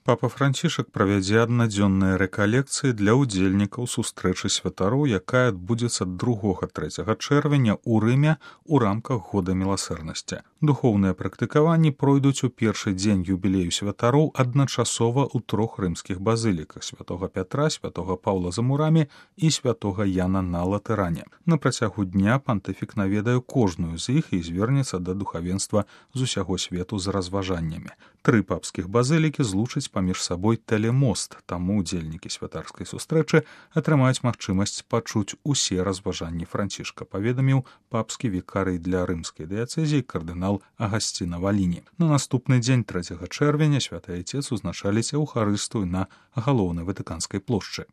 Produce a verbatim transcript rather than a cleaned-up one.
Папа Францішак правядзе аднадзённыя рэкалекцыі для ўдзельнікаў сустрэчы святароў, якая адбудзецца другога-трэцяга чэрвеня ў Рыме ў рамках года міласэрнасці. Духоўныя практыкаванні пройдуць у першы дзень юбілею святароў адначасова ў трох рымскіх базыліках святога Пятра, святога Паўла за Мурамі і святога Яна на Латэране. На працягу дня пантыфік наведае кожную з іх і звернецца да духавенства з усяго свету з разважаннямі. Тры папскіх базылікі злучаць паміж сабой тэлемост, таму удзельнікі святарскай сустрэчы атрымаюць магчымасць пачуць усе разважанні Францішка, паведаміў папскі вікарый для рымскай дыяцэзіі кардынал Агасціна Валіні. На наступны дзень трэцяга чэрвеня святы айцец узначаліць эўхарыстыю на галоўнай ватыканскай плошчы.